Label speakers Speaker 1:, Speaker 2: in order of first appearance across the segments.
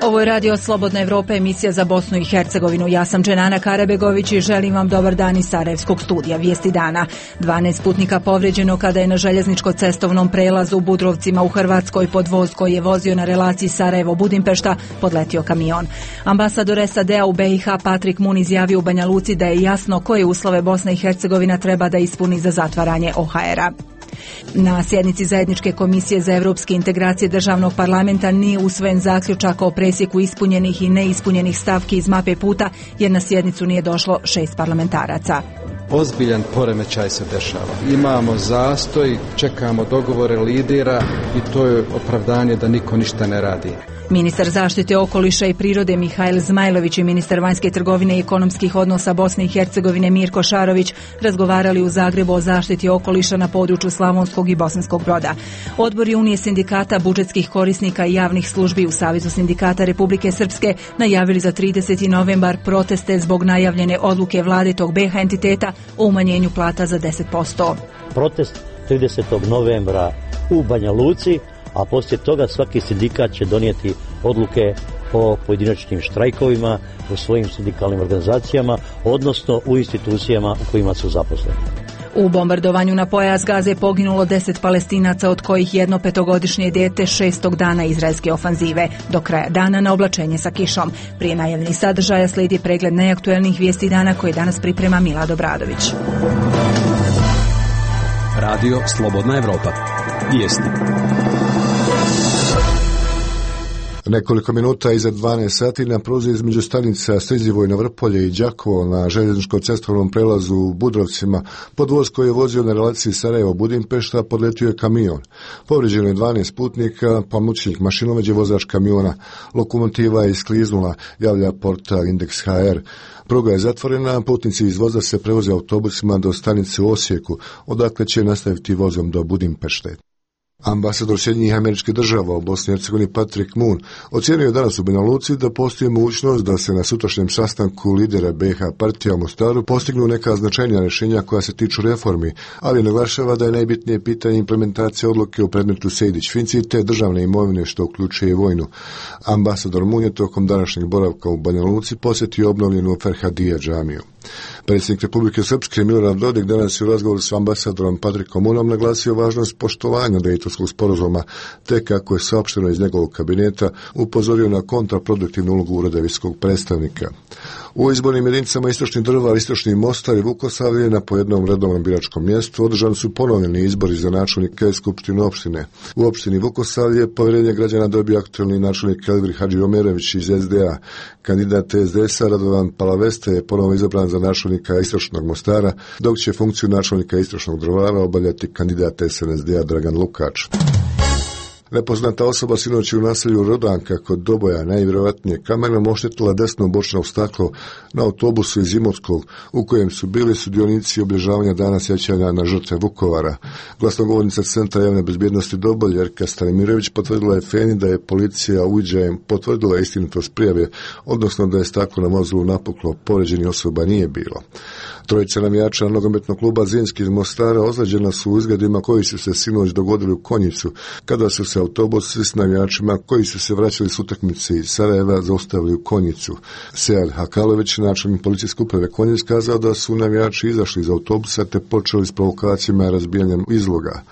Speaker 1: Ovo je Radio Slobodna Evropa, emisija za Bosnu i Hercegovinu. Ja sam Dženana Karabegović i želim vam dobar dan iz Sarajevskog studija. Vijesti dana. 12 putnika povređeno kada je na željezničko-cestovnom prelazu u Budrovcima u Hrvatskoj pod voz koji je vozio na relaciji Sarajevo-Budimpešta podletio kamion. Ambasador SAD-a u BiH Patrik Mun izjavio u Banja Luci da je jasno koje uslove Bosna i Hercegovina treba da ispuni za zatvaranje OHR-a. Na sjednici Zajedničke komisije za evropske integracije državnog parlamenta nije usvojen zaključak o presjeku ispunjenih i neispunjenih stavki iz mape puta jer na sjednicu nije došlo 6 parlamentaraca.
Speaker 2: Ozbiljan poremećaj se dešava. Imamo zastoj, čekamo dogovore lidera i to je opravdanje da niko ništa ne radi.
Speaker 1: Ministar zaštite okoliša i prirode Mihail Zmajlović i ministar vanjske trgovine i ekonomskih odnosa Bosne i Hercegovine Mirko Šarović razgovarali u Zagrebu o zaštiti okoliša na području Slavonskog i Bosanskog Broda. Odbori Unije sindikata, budžetskih korisnika i javnih službi u Savezu sindikata Republike Srpske najavili za 30. novembar proteste zbog najavljene odluke vlade tog BiH entiteta o umanjenju plata za 10%.
Speaker 3: Protest 30. novembra u Banja Luci, a poslije toga svaki sindikat će donijeti odluke o pojedinačnim štrajkovima u svojim sindikalnim organizacijama, odnosno u institucijama u kojima su zaposleni.
Speaker 1: U bombardovanju na pojas Gaze poginulo 10 Palestinaca, od kojih jedno 5-godišnje dijete 6. dana izraelske ofanzive. Do kraja dana na oblačenje sa kišom. Prije najavljenih sadržaja slijedi pregled najaktuelnijih vijesti dana koje danas priprema Milad Obradović.
Speaker 4: Radio Slobodna Evropa. Vijesti.
Speaker 5: Nekoliko minuta iza 12 sati na pruzi između stanica Strizivojno Vrpolje i Đakovo na željezničko-cestovnom prelazu u Budrovcima pod voz koji je vozio na relaciji Sarajevo-Budimpešta podletio je kamion. Povrijeđeno je 12 putnika, pomoćnik mašinovođe, vozač kamiona. Lokomotiva je iskliznula, javlja portal Indeks HR. Pruga je zatvorena, putnici iz voza se prevoze autobusima do stanice u Osijeku, odakle će nastaviti vozom do Budimpešte. Ambasador Sjedinjenih Američkih Država u Bosni i Hercegovini Patrik Mun ocijenio je danas u Banja Luci da postoji mogućnost da se na sutrašnjem sastanku lidera BiH partija u Mostaru postignu neka značajnija rješenja koja se tiču reformi, ali naglašava da je najbitnije pitanje implementacije odluke u predmetu Sejdić-Finci te državne imovine što uključuje i vojnu. Ambasador Mun je tokom današnjeg boravka u Banja Luci posjetio obnovljenu Ferhadija džamiju. Predsjednik Republike Srpske Milorad Dodik danas je u razgovoru s ambasadorom Patrikom Munom naglasio važnost poštovanja Dejtonskog sporazuma, te kako je saopšteno iz njegovog kabineta upozorio na kontraproduktivnu ulogu Ureda visokog predstavnika. U izbornim jedinicama Istočni Drvar, Istočni Mostar i Vukosavlje na po jednom redovnom biračkom mjestu održani su ponovljeni izbori za načelnike skupštine opštine. U opštini Vukosavlje povjerenje građana dobio aktualni načelnik Elvir Hadžiomerović iz SDA. Kandidat SDS-a Radovan Palaveste je ponovo izabran za načelnika Istočnog Mostara, dok će funkciju načelnika Istočnog Drvara obavljati kandidat SNSD-a Dragan Lukač. Nepoznata osoba sinoć u naselju Rodanka kod Doboja najvjerojatnije kamenom oštetila desno bočno staklo na autobusu iz Imotskog u kojem su bili sudionici obilježavanja dana sjećanja na žrtve Vukovara. Glasnogovornica Centra javne bezbjednosti Doboj Jerka Stanimirović potvrdila je FENI da je policija uviđajem potvrdila istinitost prijave, odnosno da je staklo na vozilu napuklo, povrijeđenih osoba nije bilo. Trojica navijača nogometnog kluba Zrinski iz Mostara ozlijeđena su u izgledima koji su se sinoć dogodili u Konjicu, kada su se autobusi s navijačima koji su se vraćali s utakmice iz Sarajeva zaustavili u Konjicu. Sead Hakalović, načelnik policijske uprave Konjic, kazao da su navijači izašli iz autobusa te počeli s provokacijama i razbijanjem izloga,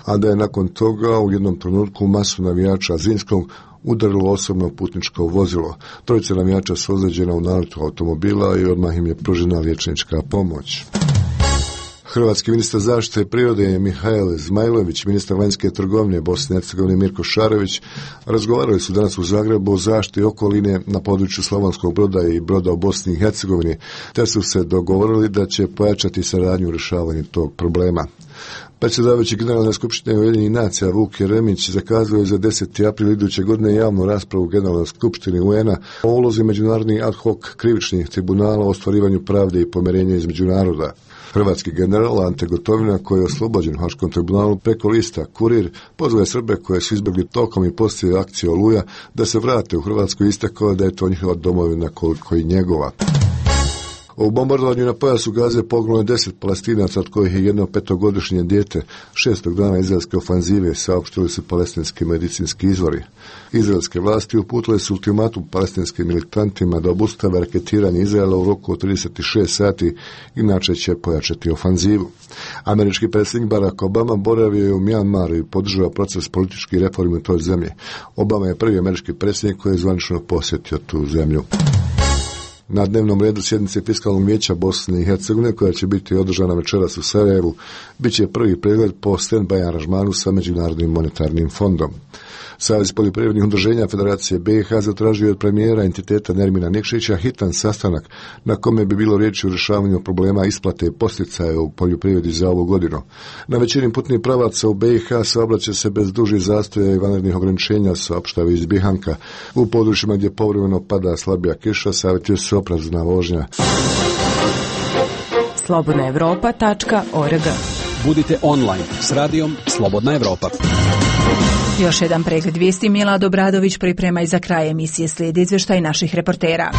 Speaker 5: a da je nakon toga u jednom trenutku masu navijača Zrinskog udarilo osobno putničko vozilo. Trojica navijača su ozlijeđena u naletu automobila i odmah im je pružena liječnička pomoć. Hrvatski ministar zaštite prirode Mihail Zmajlović, ministar vanjske trgovine Bosne i Hercegovine Mirko Šarović razgovarali su danas u Zagrebu o zaštiti okoline na području Slavonskog Broda i Broda u Bosni i Hercegovini, te su se dogovorili da će pojačati saradnju u rješavanju tog problema. Predsjedavajući Generalne skupštine Ujedinjenih nacija Vuk Jeremić zakazao je za 10. april iduće godine javnu raspravu u Generalnoj skupštini UN-a o ulozi međunarodnih ad hoc krivičnih tribunala o ostvarivanju pravde i pomirenja između naroda. Hrvatski general Ante Gotovina, koji je oslobođen u Haškom tribunalu preko lista Kurir, pozvao je Srbe koje su izbjegli tokom i poslije akcije Oluja da se vrate u Hrvatsku i istakao da je to njihova domovina koliko i njegova. U bombardovanju na pojasu Gaze poginulo je 10 Palestinaca, od kojih je jedno 5-godišnje dijete. 6. dana izraelske ofanzive, saopštili su palestinski medicinski izvori. Izraelske vlasti uputile su ultimatum palestinskim militantima da obustave raketiranje Izraela u roku od 36 sati, inače će pojačati ofanzivu. Američki predsjednik Barack Obama boravio je u Mjanmaru i podržava proces političkih reformi u toj zemlji. Obama je prvi američki predsjednik koji je zvanično posjetio tu zemlju. Na dnevnom redu sjednice Fiskalnog vijeća Bosne i Hercegovine, koja će biti održana večeras u Sarajevu, bit će prvi pregled po stand-by aranžmanu sa Međunarodnim monetarnim fondom. Savez poljoprivrednih udruženja Federacije BiH zatražio je od premijera entiteta Nermina Nikšića hitan sastanak na kome bi bilo riječi o rješavanju problema isplate posticaja u poljoprivredi za ovu godinu. Na većini putnih pravaca u BiH saobraća se bez dužih zastoja i vanrednih ograničenja, saopštava iz Bihanka. U područjima gdje povremeno pada slabija kiša savjetuje se oprezna vožnja.
Speaker 6: slobodnaevropa.org.
Speaker 4: Budite online s radijom Slobodna Evropa.
Speaker 1: Još jedan pregled vijesti. Milad Obradović priprema i za kraj emisije slijedi izvještaj naših reportera.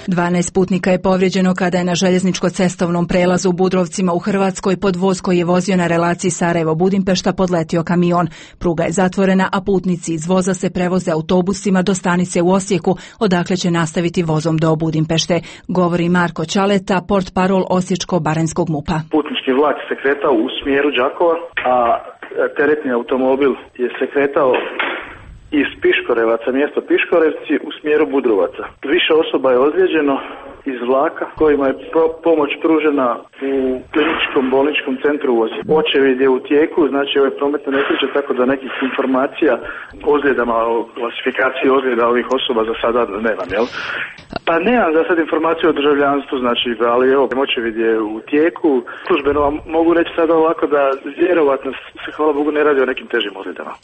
Speaker 1: 12 putnika je povrijeđeno kada je na željezničko-cestovnom prelazu u Budrovcima u Hrvatskoj pod voz koji je vozio na relaciji Sarajevo-Budimpešta podletio kamion. Pruga je zatvorena, a putnici iz voza se prevoze autobusima do stanice u Osijeku, odakle će nastaviti vozom do Budimpešte. Govori Marko Ćaleta, portparol Osječko-baranjskog MUP-a.
Speaker 7: Putnički vlak se kretao u smjeru Đakova, a teretni automobil je se kretao iz Piškorevaca, mjesto Piškorevci, u smjeru Budrovaca. Više osoba je ozlijeđeno iz vlaka kojima je pomoć pružena u kliničkom bolničkom centru u Osijeku. Očevid je u tijeku, znači ove prometne nesreće, tako da nekih informacija o ozljedama, o klasifikaciji ozljeda ovih osoba za sada nemam, jel? Pa nemam za sad informaciju o državljanstvu, znači, ali evo, očevid je u tijeku. Službeno vam mogu reći sada ovako da vjerovatno se, hvala Bogu, ne radi o nekim težim ozljedama.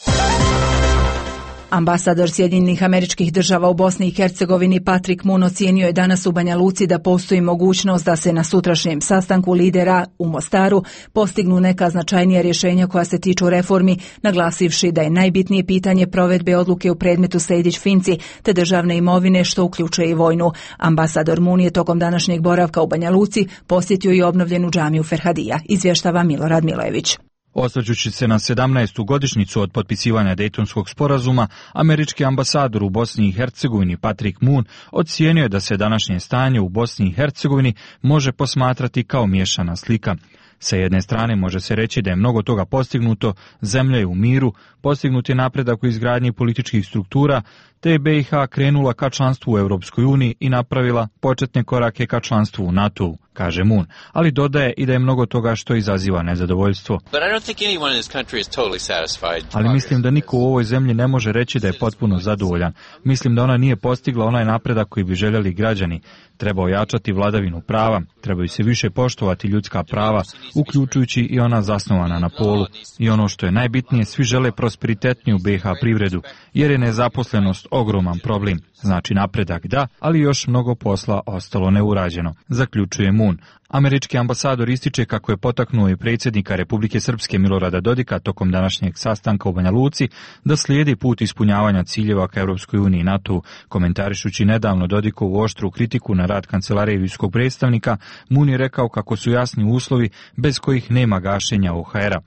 Speaker 1: Ambasador Sjedinjenih Američkih Država u Bosni i Hercegovini Patrick Moon ocijenio je danas u Banja Luci da postoji mogućnost da se na sutrašnjem sastanku lidera u Mostaru postignu neka značajnija rješenja koja se tiču reformi, naglasivši da je najbitnije pitanje provedbe odluke u predmetu Sejdić-Finci te državne imovine, što uključuje i vojnu. Ambasador Moon je tokom današnjeg boravka u Banja Luci posjetio i obnovljenu džamiju Ferhadija, izvještava Milorad Milojević.
Speaker 8: Osvrćući se na 17. godišnjicu od potpisivanja Dejtonskog sporazuma, američki ambasador u Bosni i Hercegovini Patrick Moon ocijenio je da se današnje stanje u Bosni i Hercegovini može posmatrati kao miješana slika. Sa jedne strane može se reći da je mnogo toga postignuto, zemlja je u miru, postignut je napredak u izgradnji političkih struktura, te je BiH krenula ka članstvu u Europskoj uniji i napravila početne korake ka članstvu u NATO-u, kaže Moon, ali dodaje i da je mnogo toga što izaziva nezadovoljstvo. Ali mislim da niko u ovoj zemlji ne može reći da je potpuno zadovoljan. Mislim da ona nije postigla onaj napredak koji bi željeli građani. Treba ojačati vladavinu prava, trebaju se više poštovati ljudska prava, uključujući i ona zasnovana na polu. I ono što je najbitnije, svi žele prosperitetniju BiH privredu, jer je nezaposlenost ogroman problem. Znači napredak da, ali još mnogo posla ostalo neurađeno, zaključuje Moon. Američki ambasador ističe kako je potaknuo i predsjednika Republike Srpske Milorada Dodika tokom današnjeg sastanka u Banja Luci da slijedi put ispunjavanja ciljeva ka Europskoj uniji i NATO-u. Komentarišući nedavno Dodikovu oštru kritiku na rad kancelarije visokog predstavnika, Moon je rekao kako su jasni uslovi bez kojih nema gašenja OHR-a.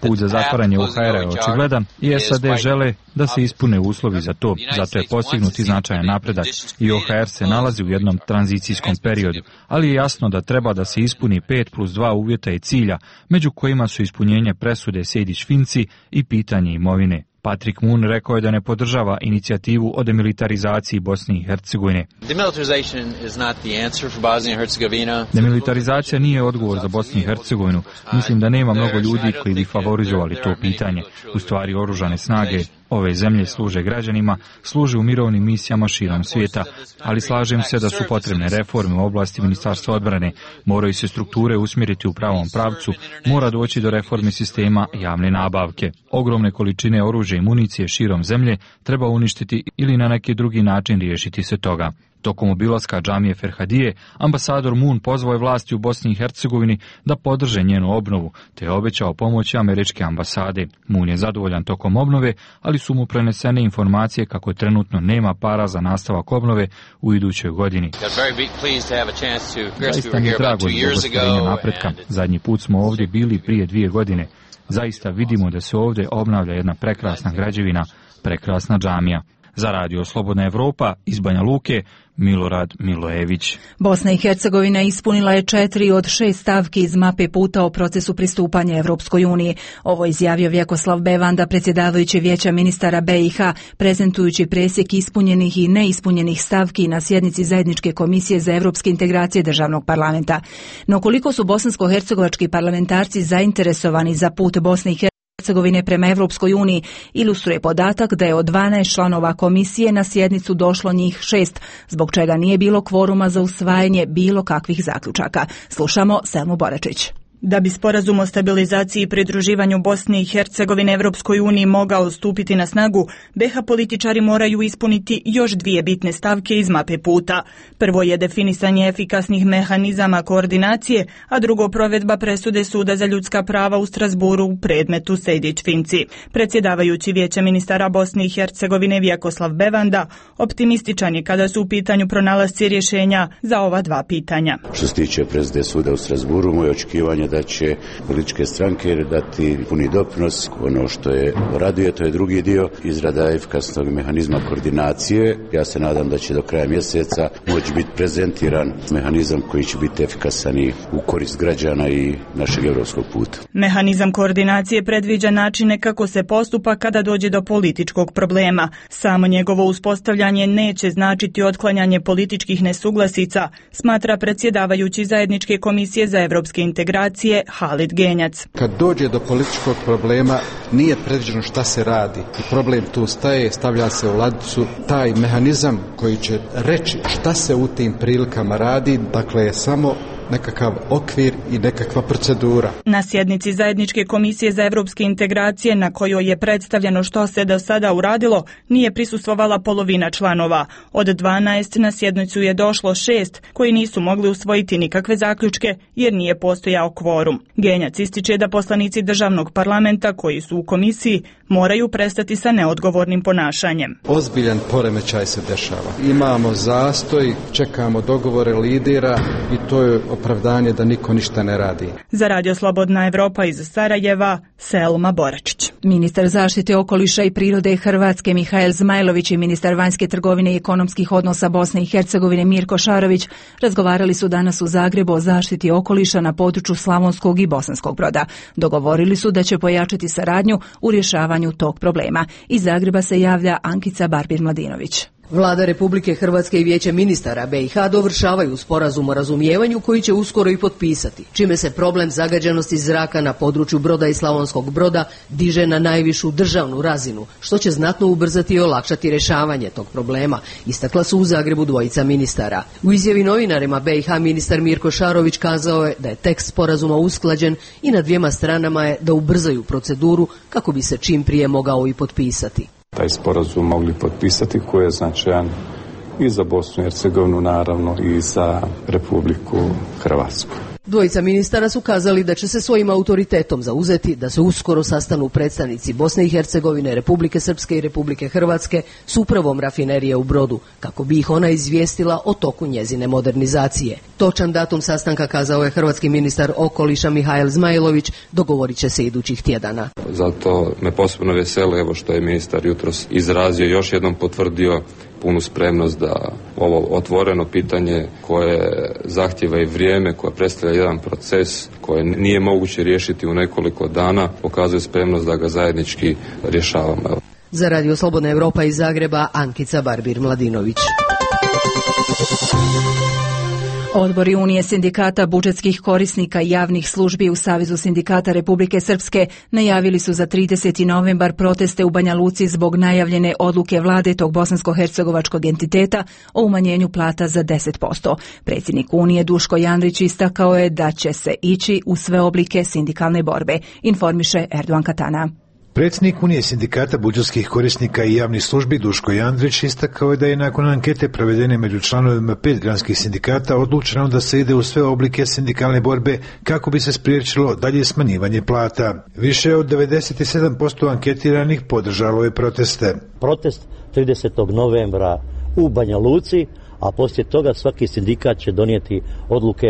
Speaker 8: Put za zatvaranje OHR-a je očigledan i SAD žele da se ispune uslovi za to. Zato je postignut i značajan napredak i OHR se nalazi u jednom tranzicijskom periodu, ali je jasno da treba da se ispuni 5+2 uvjeta i cilja, među kojima su ispunjenje presude Sejdić-Finci i pitanje imovine. Patrick Moon rekao je da ne podržava inicijativu o demilitarizaciji Bosne i Hercegovine. Demilitarizacija nije odgovor za Bosnu i Hercegovinu. Mislim da nema mnogo ljudi koji bi favorizovali to pitanje. U stvari, oružane snage ove zemlje služe građanima, služe u mirovnim misijama širom svijeta, ali slažem se da su potrebne reforme u oblasti Ministarstva odbrane, moraju se strukture usmjeriti u pravom pravcu, mora doći do reforme sistema javne nabavke. Ogromne količine oružja i municije širom zemlje treba uništiti ili na neki drugi način riješiti se toga. Tokom obilaska džamije Ferhadije, ambasador Moon pozvao je vlasti u Bosni i Hercegovini da podrže njenu obnovu, te je obećao pomoći američke ambasade. Moon je zadovoljan tokom obnove, ali su mu prenesene informacije kako trenutno nema para za nastavak obnove u idućoj godini. Zaista mi je drago zbog ostvarenja napretka. Zadnji put smo ovdje bili prije 2 godine. Zaista vidimo da se ovdje obnavlja jedna prekrasna građevina, prekrasna džamija. Za Radio Slobodna Evropa iz Banja Luke, Milorad Milojević.
Speaker 1: Bosna i Hercegovina ispunila je 4 od 6 stavki iz mape puta o procesu pristupanja Evropskoj uniji. Ovo izjavio Vjekoslav Bevanda, predsjedavajući Vijeća ministara BiH, prezentujući presjek ispunjenih i neispunjenih stavki na sjednici Zajedničke komisije za evropske integracije državnog parlamenta. No koliko su bosansko-hercegovački parlamentarci zainteresovani za put Bosne i Hercegovine prema Evropskoj uniji, ilustruje podatak da je od 12 članova komisije na sjednicu došlo njih 6, zbog čega nije bilo kvoruma za usvajanje bilo kakvih zaključaka. Slušamo Selmu Boračić.
Speaker 9: Da bi sporazum o stabilizaciji i pridruživanju Bosne i Hercegovine Evropskoj uniji mogao stupiti na snagu, BiH političari moraju ispuniti još 2 bitne stavke iz mape puta. Prvo je definisanje efikasnih mehanizama koordinacije, a drugo provedba presude Suda za ljudska prava u Strasburu u predmetu Sejdić-Finci. Predsjedavajući Vijeća ministara Bosne i Hercegovine Vjekoslav Bevanda optimističan je kada su u pitanju pronalasci rješenja za ova 2 pitanja.
Speaker 10: Što se tiče presude Suda u Strasburu, moje očekivanje da će političke stranke dati puni doprinos. Ono što je raduje, to je drugi dio, izrada efikasnog mehanizma koordinacije. Ja se nadam da će do kraja mjeseca moći biti prezentiran mehanizam koji će biti efikasan i u korist građana i našeg europskog puta.
Speaker 9: Mehanizam koordinacije predviđa načine kako se postupa kada dođe do političkog problema. Samo njegovo uspostavljanje neće značiti otklanjanje političkih nesuglasica, smatra predsjedavajući Zajedničke komisije za evropske integracije Halid Genjac.
Speaker 2: Kad dođe do političkog problema, nije predviđeno šta se radi i problem tu staje, stavlja se u ladicu. Taj mehanizam koji će reći šta se u tim prilikama radi, dakle je samo nekakav okvir i nekakva procedura.
Speaker 9: Na sjednici Zajedničke komisije za evropske integracije, na kojoj je predstavljeno što se do sada uradilo, nije prisustvovala polovina članova. Od 12 na sjednicu je došlo 6 koji nisu mogli usvojiti nikakve zaključke jer nije postojao kvorum. Genjac ističe da poslanici državnog parlamenta koji su u komisiji moraju prestati sa neodgovornim ponašanjem.
Speaker 2: Ozbiljan poremećaj se dešava. Imamo zastoj, čekamo dogovore lidera i to je opravdanje da niko ništa ne radi.
Speaker 9: Za Radio Slobodna Evropa iz Sarajeva, Selma Boračić.
Speaker 1: Ministar zaštite okoliša i prirode Hrvatske Mihael Zmajlović i ministar vanjske trgovine i ekonomskih odnosa Bosne i Hercegovine Mirko Šarović razgovarali su danas u Zagrebu o zaštiti okoliša na području Slavonskog i Bosanskog Broda. Dogovorili su da će pojačati saradnju u rješavanju tog problema. Iz Zagreba se javlja Ankica Barbir-Mladinović.
Speaker 11: Vlada Republike Hrvatske i Vijeće ministara BiH dovršavaju sporazum o razumijevanju koji će uskoro i potpisati, čime se problem zagađenosti zraka na području Broda i Slavonskog Broda diže na najvišu državnu razinu, što će znatno ubrzati i olakšati rješavanje tog problema, istakla su u Zagrebu dvojica ministara. U izjavi novinarima BiH ministar Mirko Šarović kazao je da je tekst sporazuma usklađen i na 2 stranama je da ubrzaju proceduru kako bi se čim prije mogao i potpisati.
Speaker 12: Taj sporazum mogli potpisati koji je značajan i za Bosnu i Hercegovinu, naravno i za Republiku Hrvatsku.
Speaker 11: Dvojica ministara su kazali da će se svojim autoritetom zauzeti da se uskoro sastanu predstavnici Bosne i Hercegovine, Republike Srpske i Republike Hrvatske s upravom rafinerije u Brodu, kako bi ih ona izvijestila o toku njezine modernizacije. Točan datum sastanka, kazao je hrvatski ministar okoliša Mihael Zmajlović, dogovorit će se idućih tjedana.
Speaker 12: Zato me posebno veseli evo što je ministar jutros izrazio, još jednom potvrdio punu spremnost da ovo otvoreno pitanje koje zahtjeva i vrijeme, koje predstavlja jedan proces koje nije moguće riješiti u nekoliko dana, pokazuje spremnost da ga zajednički rješavamo.
Speaker 11: Za Radio Slobodna Evropa iz Zagreba, Ankica Barbir-Mladinović.
Speaker 1: Odbori Unije sindikata budžetskih korisnika i javnih službi u Savezu sindikata Republike Srpske najavili su za 30. novembar proteste u Banja Luci zbog najavljene odluke vlade tog bosansko-hercegovačkog entiteta o umanjenju plata za 10%. Predsjednik Unije Duško Janrić istakao je da će se ići u sve oblike sindikalne borbe, informiše Erdogan Katana.
Speaker 13: Predsjednik Unije sindikata budžetskih korisnika i javnih službi Duško Jandrić istakao je da je nakon ankete provedene među članovima 5 granskih sindikata odlučeno da se ide u sve oblike sindikalne borbe kako bi se spriječilo dalje smanjivanje plata. Više od 97% anketiranih podržalo je proteste.
Speaker 3: Protest 30. novembra u Banja Luci, a poslije toga svaki sindikat će donijeti odluke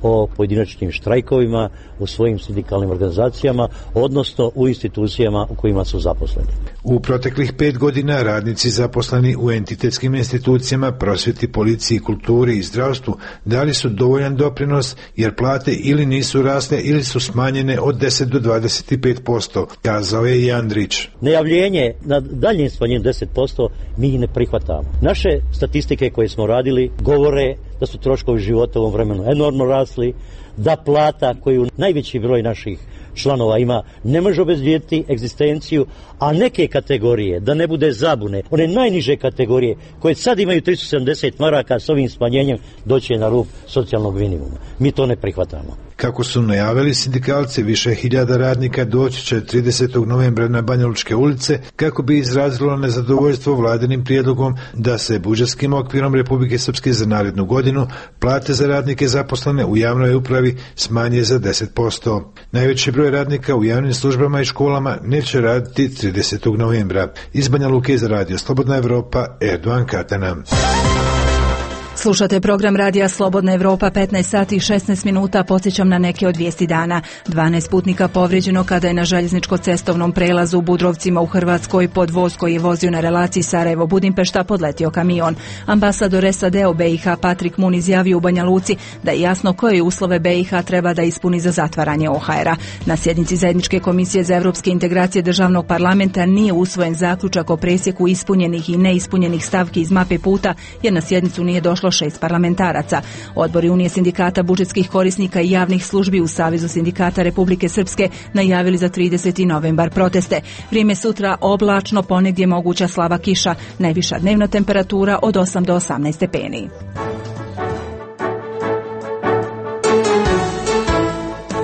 Speaker 3: o pojedinačnim štrajkovima u svojim sindikalnim organizacijama, odnosno u institucijama u kojima su zaposleni.
Speaker 13: U proteklih 5 godina radnici zaposleni u entitetskim institucijama, prosvjeti, policiji, kulturi i zdravstvu dali su dovoljan doprinos jer plate ili nisu rasle ili su smanjene od 10 do 25%, kazao je Jandrić.
Speaker 3: Najavljenje na daljnjem smanjenju 10% mi ne prihvatamo. Naše statistike koje smo radili govore da su troškovi života u ovom vremenu enormno rasli, da plata koju najveći broj naših članova ima ne može obezbijediti egzistenciju, a neke kategorije, da ne bude zabune, one najniže kategorije koje sad imaju 370 maraka s ovim smanjenjem doće na rub socijalnog minimuma. Mi to ne prihvatamo.
Speaker 13: Kako su najavili sindikalci, više hiljada radnika doći će 30. novembra na Banjalučke ulice kako bi izrazilo nezadovoljstvo vladinim prijedlogom da se budžetskim okvirom Republike Srpske za narednu godinu plate za radnike zaposlene u javnoj upravi smanje za 10%. Najveći broj radnika u javnim službama i školama neće raditi 30. novembra. Iz Banja Luke za radio Slobodna Evropa, Erdogan Katana.
Speaker 1: Slušate program radija Slobodna Evropa, 15 sati i 16 minuta. Podsjećam na neke od vijesti dana. 12 putnika povrijeđeno kada je na željezničko-cestovnom prelazu u Budrovcima u Hrvatskoj pod voz koji je vozio na relaciji Sarajevo-Budimpešta podletio kamion. Ambasador SAD-a u BiH Patrik Mun izjavio u Banja Luci da je jasno koje uslove BiH treba da ispuni za zatvaranje OHR-a. Na sjednici Zajedničke komisije za evropske integracije državnog parlamenta nije usvojen zaključak o presjeku ispunjenih i neispunjenih stavki iz mape puta jer na sjednicu nije došlo 6 parlamentaraca. Odbori Unije sindikata budžetskih korisnika i javnih službi u Savezu sindikata Republike Srpske najavili za 30. novembar proteste. Vrijeme sutra oblačno, ponegdje moguća slaba kiša, najviša dnevna temperatura od 8 do 18 stepeni.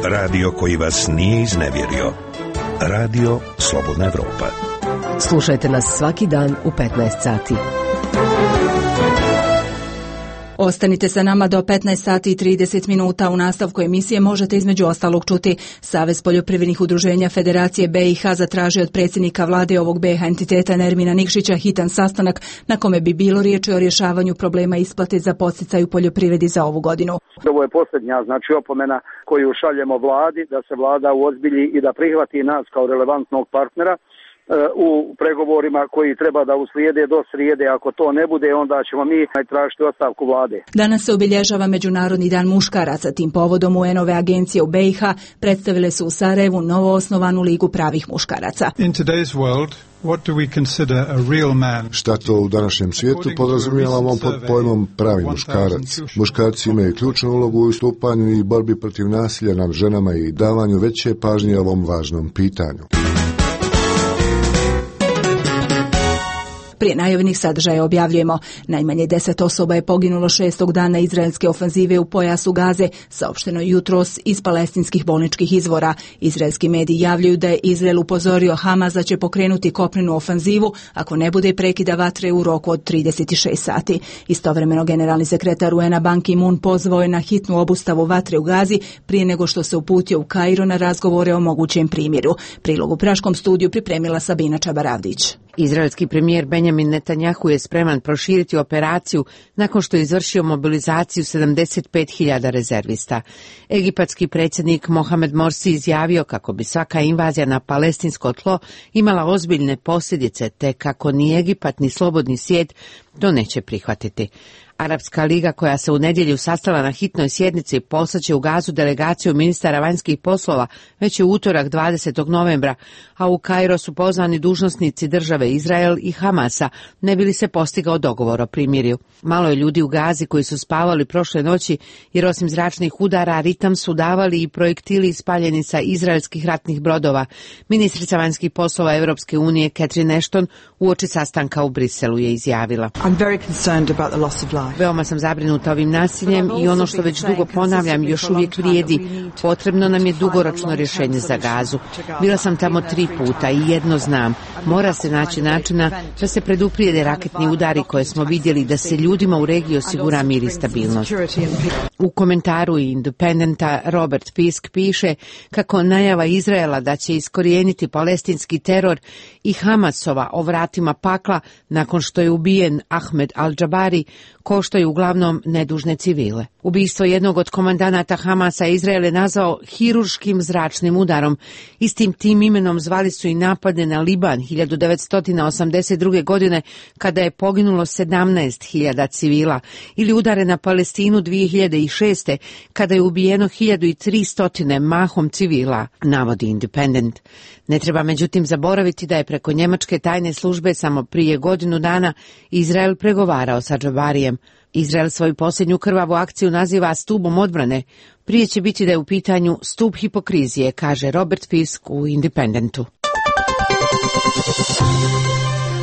Speaker 14: Radio koji vas nije iznevjerio. Radio Slobodna Evropa.
Speaker 11: Slušajte nas svaki dan u 15 sati.
Speaker 1: Ostanite sa nama do 15 sati i 30 minuta. U nastavku emisije možete između ostalog čuti: Savez poljoprivrednih udruženja Federacije BiH zatražio od predsjednika vlade ovog BiH entiteta Nermina Nikšića hitan sastanak na kome bi bilo riječi o rješavanju problema isplate za podsticaj u poljoprivredi za ovu godinu.
Speaker 15: Ovo je posljednja opomena koju šaljemo vladi, da se vlada uozbilji i da prihvati nas kao relevantnog partnera u pregovorima koji treba da uslijede do srijede. Ako to ne bude, onda ćemo mi tražiti ostavku vlade.
Speaker 1: Danas se obilježava Međunarodni dan muškaraca. Tim povodom UN-ove agencije u BiH predstavile su u Sarajevu novoosnovanu ligu pravih muškaraca.
Speaker 16: In today's world, what do we consider a real man?
Speaker 5: Šta to u današnjem svijetu podrazumijevamo pod pojmom pravi muškarac? Muškarci imaju ključnu ulogu u istupanju i borbi protiv nasilja nad ženama i davanju veće pažnje ovom važnom pitanju.
Speaker 1: Prije najavljenih sadržaja objavljujemo: najmanje 10 osoba je poginulo 6. dana izraelske ofenzive u pojasu Gaze, saopšteno jutros iz palestinskih bolničkih izvora. Izraelski mediji javljaju da je Izrael upozorio Hamas da će pokrenuti kopnenu ofenzivu ako ne bude prekida vatre u roku od 36 sati. Istovremeno generalni sekretar UN-a Ban Ki-moon pozvao je na hitnu obustavu vatre u Gazi prije nego što se uputio u Kairo na razgovore o mogućem primjeru. Prilog u Praškom studiju pripremila Sabina Čabaravdić.
Speaker 17: Izraelski premijer Benjamin Netanjahu je spreman proširiti operaciju nakon što je izvršio mobilizaciju 75.000 rezervista. Egipatski predsjednik Mohamed Morsi izjavio kako bi svaka invazija na palestinsko tlo imala ozbiljne posljedice, te kako ni Egipat ni slobodni svijet to neće prihvatiti. Arapska liga, koja se u nedjelju sastala na hitnoj sjednici, poslaće u Gazu delegaciju ministara vanjskih poslova već je utorak 20. novembra, a u Kairo su pozvani dužnosnici države Izrael i Hamasa, ne bi li se postigao dogovor o primirju. Malo je ljudi u Gazi koji su spavali prošle noći, jer osim zračnih udara ritam su davali i projektili ispaljeni sa izraelskih ratnih brodova. Ministrica vanjskih poslova Europske unije Catherine Ashton uoči sastanka u Briselu je izjavila:
Speaker 18: I'm very concerned about the loss of life.
Speaker 17: Veoma sam zabrinuta ovim nasiljem i ono što već dugo ponavljam još uvijek vrijedi. Potrebno nam je dugoročno rješenje za Gazu. Bila sam tamo 3 puta i jedno znam. Mora se naći načina da se preduprijede raketni udari koje smo vidjeli, da se ljudima u regiji osigura mir i stabilnost. U komentaru Independenta Robert Fisk piše kako najava Izraela da će iskorijeniti palestinski teror i Hamasova o vratima pakla nakon što je ubijen Ahmed al-Jabari koštaju uglavnom nedužne civile. Ubistvo jednog od komandanata Hamasa Izrael je nazvao hirurškim zračnim udarom. Istim tim imenom zvali su i napade na Liban 1982. godine kada je poginulo 17.000 civila ili udare na Palestinu 2006. kada je ubijeno 1300 mahom civila, navodi Independent. Ne treba međutim zaboraviti da je preko njemačke tajne službe samo prije godinu dana Izrael pregovarao sa Džabarijem. Izrael svoju posljednju krvavu akciju naziva stubom odbrane. Prije će biti da je u pitanju stup hipokrizije, kaže Robert Fisk u Independentu.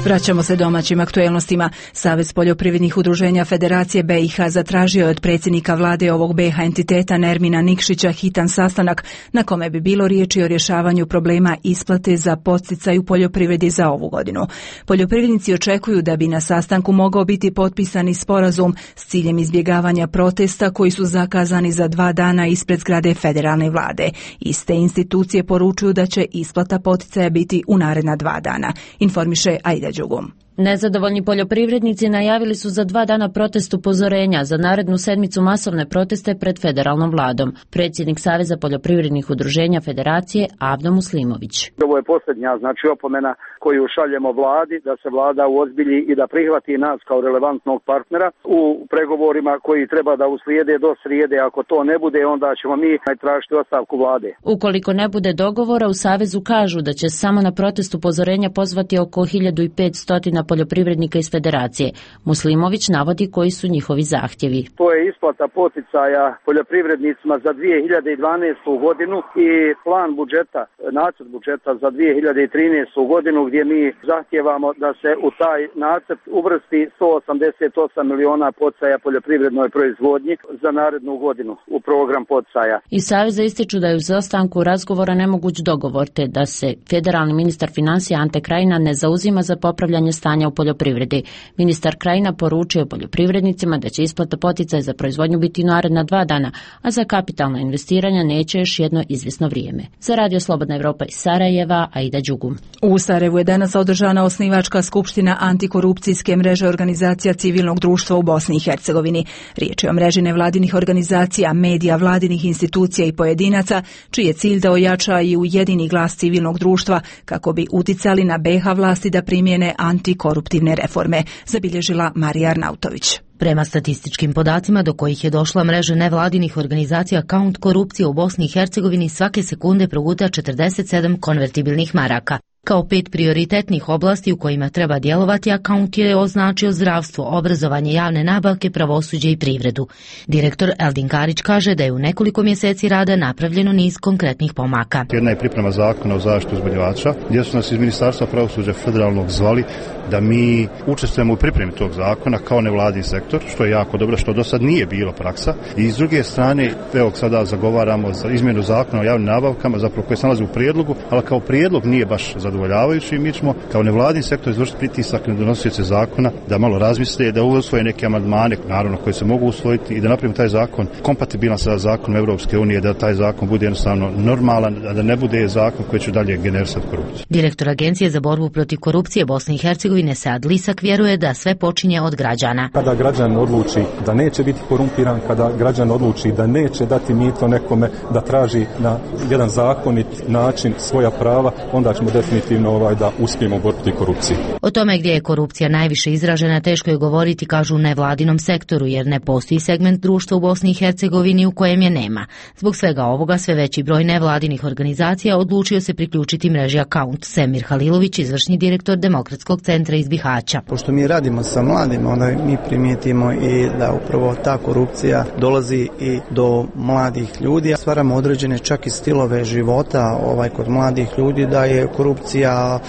Speaker 1: Vraćamo se domaćim aktuelnostima. Savez poljoprivrednih udruženja Federacije BiH zatražio je od predsjednika vlade ovog BiH entiteta Nermina Nikšića hitan sastanak na kome bi bilo riječi o rješavanju problema isplate za podsticaj u poljoprivredi za ovu godinu. Poljoprivrednici očekuju da bi na sastanku mogao biti potpisani sporazum s ciljem izbjegavanja protesta koji su zakazani za 2 dana ispred zgrade federalne vlade. Iste institucije poručuju da će isplata poticaja biti u naredna 2 dana. Informiše Aida Đugum.
Speaker 18: Nezadovoljni poljoprivrednici najavili su za 2 dana protest upozorenja, za narednu sedmicu masovne proteste pred federalnom vladom. Predsjednik Saveza poljoprivrednih udruženja Federacije Avdo Muslimović.
Speaker 15: Ovo je posljednja opomena koju šaljemo vladi, da se vlada uozbilji i da prihvati nas kao relevantnog partnera u pregovorima koji treba da uslijede do srijede. Ako to ne bude, onda ćemo mi tražiti ostavku vlade.
Speaker 18: Ukoliko ne bude dogovora, u Savezu kažu da će samo na protest upozorenja pozvati oko 1500 poljoprivrednika iz Federacije. Muslimović navodi koji su njihovi zahtjevi.
Speaker 15: To je isplata poticaja poljoprivrednicima za 2012. godinu i plan budžeta, nacrt budžeta za 2013. godinu gdje mi zahtjevamo da se u taj nacrt uvrsti 188 miliona poticaja poljoprivrednoj proizvodnji za narednu godinu u program poticaja.
Speaker 18: Iz Saveza ističu da je u izostanku razgovora nemoguć dogovor, te da se federalni ministar financija Ante Krajina ne zauzima za popravljanje stanja u poljoprivredi. Ministar Krajina poručio poljoprivrednicima da će isplata poticaja za proizvodnju biti naredna 2 dana, a za kapitalna investiranja neće još jedno izvjesno vrijeme. Za Radio Slobodna Evropa iz Sarajeva, Aida Đugum.
Speaker 1: U Sarajevu je danas održana osnivačka skupština antikorupcijske mreže organizacija civilnog društva u Bosni i Hercegovini. Riječ je o mreži nevladinih organizacija, medija, vladinih institucija i pojedinaca, čiji je cilj da ojača i ujedini glas civilnog društva kako bi uticali na BiH vlasti da primjene antikoruptivne reforme, zabilježila Marija Arnautović.
Speaker 19: Prema statističkim podacima do kojih je došla mreža nevladinih organizacija, Count korupcije u Bosni i Hercegovini svake sekunde proguta 47 konvertibilnih maraka. Kao 5 prioritetnih oblasti u kojima treba djelovati, Count je označio zdravstvo, obrazovanje, javne nabavke, pravosuđe i privredu. Direktor Eldin Karić kaže da je u nekoliko mjeseci rada napravljeno niz konkretnih pomaka.
Speaker 20: Jedna je priprema zakona o zaštiti uzbunjivača, gdje su nas iz Ministarstva pravosuđa federalnog zvali da mi učestvujemo u pripremi tog zakona kao nevladin sektor, što je jako dobro, što do sad nije bilo praksa. I s druge strane, evo sada zagovaramo za izmjenu zakona o javnim nabavkama, zapravo koje se nalazi u prijedlogu, ali kao prijedlog nije baš zadovoljavajući. Mi ćemo kao nevladin sektor izvršiti pritisak na donosioce zakona da malo razmisle, da usvoje neke amandmane, naravno koje se mogu usvojiti i da napravimo taj zakon kompatibilan sa zakonom Europske unije, da taj zakon bude jednostavno normalan, a da ne bude zakon koji će dalje generisati korupciju.
Speaker 19: Direktor Agencije za borbu protiv korupcije Bosne i Hercegovine Sead Lisak vjeruje da sve počinje od građana.
Speaker 21: Kada građan odluči da neće biti korumpiran, kada građan odluči da neće dati mito nekome, da traži na jedan zakonit način svoja prava, onda ćemo definitivno da uspijemo u borbi protiv korupcije.
Speaker 19: O tome gdje je korupcija najviše izražena teško je govoriti, kažu u nevladinom sektoru, jer ne postoji segment društva u Bosni i Hercegovini u kojem je nema. Zbog svega ovoga sve veći broj nevladinih organizacija odlučio se priključiti mreži Account. Semir Halilović, izvršni direktor Demokratskog centra iz Bihaća.
Speaker 22: Pošto mi radimo sa mladima, onda mi primijetimo i da upravo ta korupcija dolazi i do mladih ljudi. Stvaramo određene čak i stilove života kod mladih ljudi, da je korupcija korupcija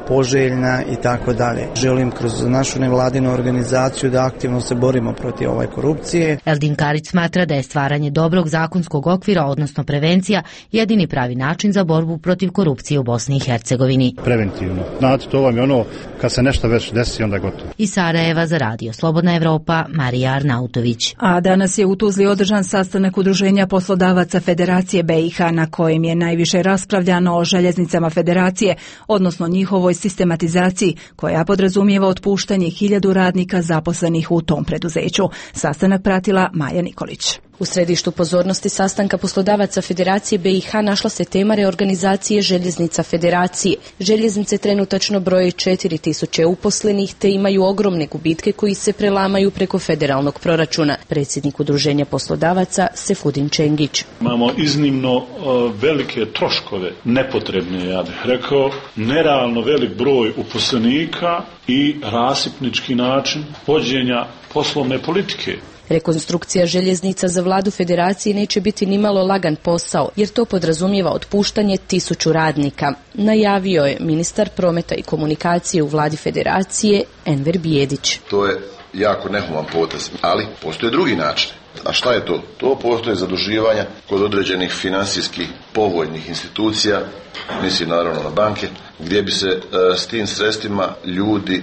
Speaker 22: poželjna i tako dalje. Želim kroz našu nevladinu organizaciju da aktivno se borimo protiv ove korupcije.
Speaker 19: Eldin Karić smatra da je stvaranje dobrog zakonskog okvira, odnosno prevencija, jedini pravi način za borbu protiv korupcije u Bosni i Hercegovini.
Speaker 20: Preventivno. Znate, to vam je kad se nešto već desi, onda je gotovo.
Speaker 19: Iz Sarajeva za Radio Slobodna Evropa, Marija Arnautović.
Speaker 1: A danas je u Tuzli održan sastanak Udruženja poslodavaca Federacije BiH na kojem je najviše raspravljano o željeznicama Federacije, odnosno njihovoj sistematizaciji koja podrazumijeva otpuštanje 1000 radnika zaposlenih u tom preduzeću. Sastanak pratila Maja Nikolić.
Speaker 4: U središtu pozornosti sastanka poslodavaca Federacije BiH našla se tema reorganizacije željeznica Federacije. Željeznice trenutačno broje 4000 uposlenih te imaju ogromne gubitke koji se prelamaju preko federalnog proračuna. Predsjednik Udruženja poslodavaca Sefudin Čengić.
Speaker 6: Imamo iznimno velike troškove, nepotrebne, ja bih rekao, nerealno velik broj uposlenika i rasipnički način vođenja poslovne politike.
Speaker 4: Rekonstrukcija željeznica za vladu Federacije neće biti nimalo lagan posao, jer to podrazumijeva otpuštanje 1000 radnika. Najavio je ministar prometa i komunikacije u vladi Federacije Enver Bijedić.
Speaker 23: To je jako nehuman potez, ali postoje drugi način. A šta je to? To postoje zaduživanja kod određenih financijskih povoljnih institucija, mislim naravno na banke, gdje bi se s tim sredstvima ljudi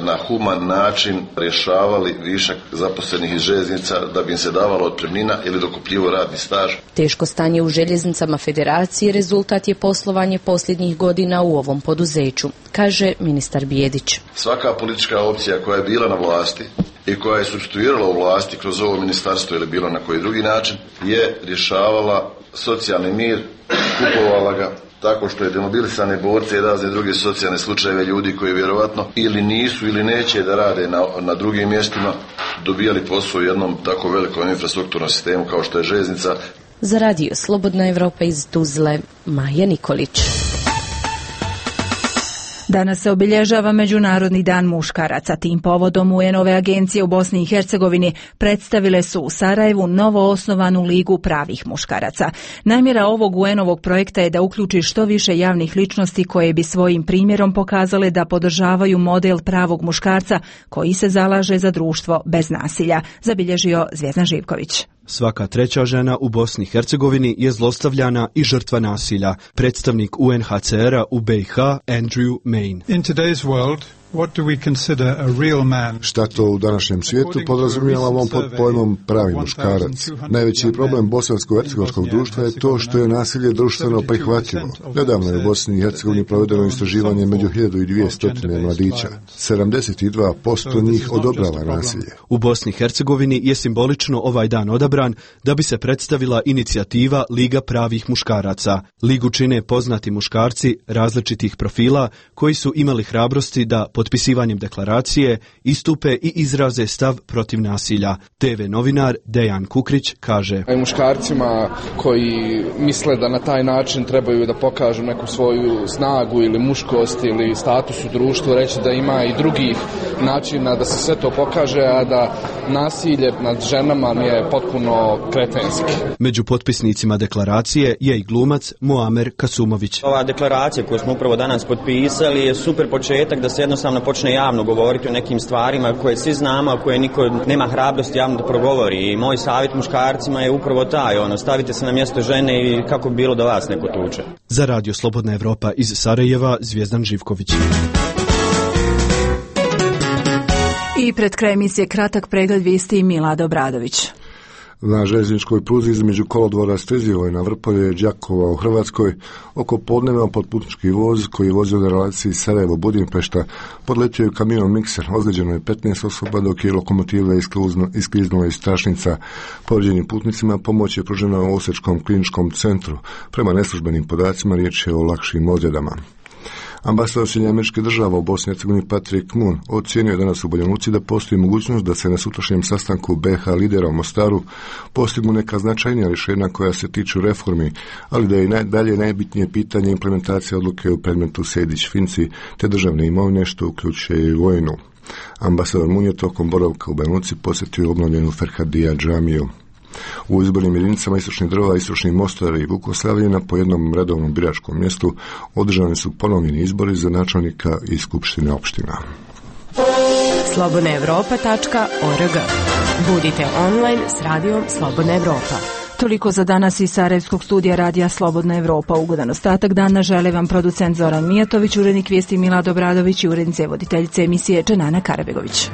Speaker 23: na human način rješavali višak zaposlenih iz željeznica da bi im se davalo otpremnina ili dokupljivo radni staž.
Speaker 4: Teško stanje u željeznicama Federacije rezultat je poslovanje posljednjih godina u ovom poduzeću, kaže ministar Bijedić.
Speaker 23: Svaka politička opcija koja je bila na vlasti i koja je supstituirala u vlasti kroz ovo ministarstvo ili bilo na koji drugi način je rješavala socijalni mir, kupovala ga tako što je demobilisane borce i razne druge socijalne slučajeve ljudi koji vjerovatno ili nisu ili neće da rade na drugim mjestima dobijali posao u jednom tako velikom infrastrukturnom sistemu kao što je željeznica.
Speaker 4: Za Radio Slobodna Evropa iz Tuzle, Maja Nikolić.
Speaker 1: Danas se obilježava Međunarodni dan muškaraca. Tim povodom UN-ove agencije u Bosni i Hercegovini predstavile su u Sarajevu novo osnovanu ligu pravih muškaraca. Namjera ovog UN-ovog projekta je da uključi što više javnih ličnosti koje bi svojim primjerom pokazale da podržavaju model pravog muškarca koji se zalaže za društvo bez nasilja, zabilježio Zvjezdan Živković.
Speaker 24: Svaka treća žena u Bosni i Hercegovini je zlostavljana i žrtva nasilja. Predstavnik UNHCR-a u BiH, Andrew Main.
Speaker 16: In today's world, what do we consider a real man?
Speaker 5: Šta to u današnjem svijetu podrazumijevamo pod pojmom pravi muškarac? Najveći problem bosansko-hercegovačkog društva je to što je nasilje društveno prihvatljivo. Nedavno je u Bosni i Hercegovini provedeno istraživanje među 1200 mladića. 72% njih odobrava nasilje.
Speaker 24: U Bosni i Hercegovini je simbolično ovaj dan odabran da bi se predstavila inicijativa Liga pravih muškaraca. Ligu čine poznati muškarci različitih profila koji su imali hrabrosti da potpisivanjem deklaracije istupe i izraze stav protiv nasilja. TV novinar Dejan Kukrić kaže:
Speaker 25: muškarcima koji misle da na taj način trebaju da pokažu neku svoju snagu ili muškost ili status u društvu, reći da ima i drugih načina da se sve to pokaže, a da nasilje nad ženama je potpuno kretenski.
Speaker 24: Među potpisnicima deklaracije je i glumac Muamer Kasumović.
Speaker 26: Ova deklaracija koju smo upravo danas potpisali je super početak da se jednostavno počne javno govoriti o nekim stvarima koje svi znamo, a koje niko nema hrabrosti javno da progovori. I moj savjet muškarcima je upravo taj, stavite se na mjesto žene i kako bi bilo da vas neko tuče.
Speaker 24: Za Radio Slobodna Evropa iz Sarajeva, Zvjezdan Živković.
Speaker 1: I pred kraj emisije kratak pregled vijesti Milada Obradović.
Speaker 5: Na željezničkoj pruzi između kolodvora Strizivoj na Vrpolje i Đakova u Hrvatskoj oko podneva potputnički voz koji je vozio na relaciji Sarajevo-Budimpešta podletio je kamion mikser. Ozlijeđeno je 15 osoba dok je lokomotiva iskliznula iz tračnica. Povrijeđenim putnicima pomoć je pružena u Osječkom kliničkom centru. Prema neslužbenim podacima riječ je o lakšim ozljedama. Ambasador SAD-a u Bosni i Hercegovini Patrick Moon ocijenio je danas u Banja Luci da postoji mogućnost da se na sutrašnjem sastanku BiH lidera u Mostaru postignu neka značajnija rješenja koja se tiču reformi, ali da je dalje najbitnije pitanje implementacije odluke u predmetu Sejdić-Finci te državne imovine, što uključuje i vojnu. Ambasador Moon je tokom boravka u Banja Luci posjetio obnovljenu Ferhadija džamiju. U izbornim jedinicama Istočni Drva, Istočni Mostar i Vukoslavljena po jednom redovnom biračkom mjestu održani su ponovljeni izbori za načelnika i skupštine opština.
Speaker 2: slobodnaevropa.org. Budite online s radijom Slobodna Evropa.
Speaker 1: Toliko za danas iz Sarajevskog studija radija Slobodna Evropa. Ugodan ostatak dana žele vam producent Zoran Mijatović, urednik vijesti Milad Obradović i urednice voditeljice emisije Dženana Karabegović.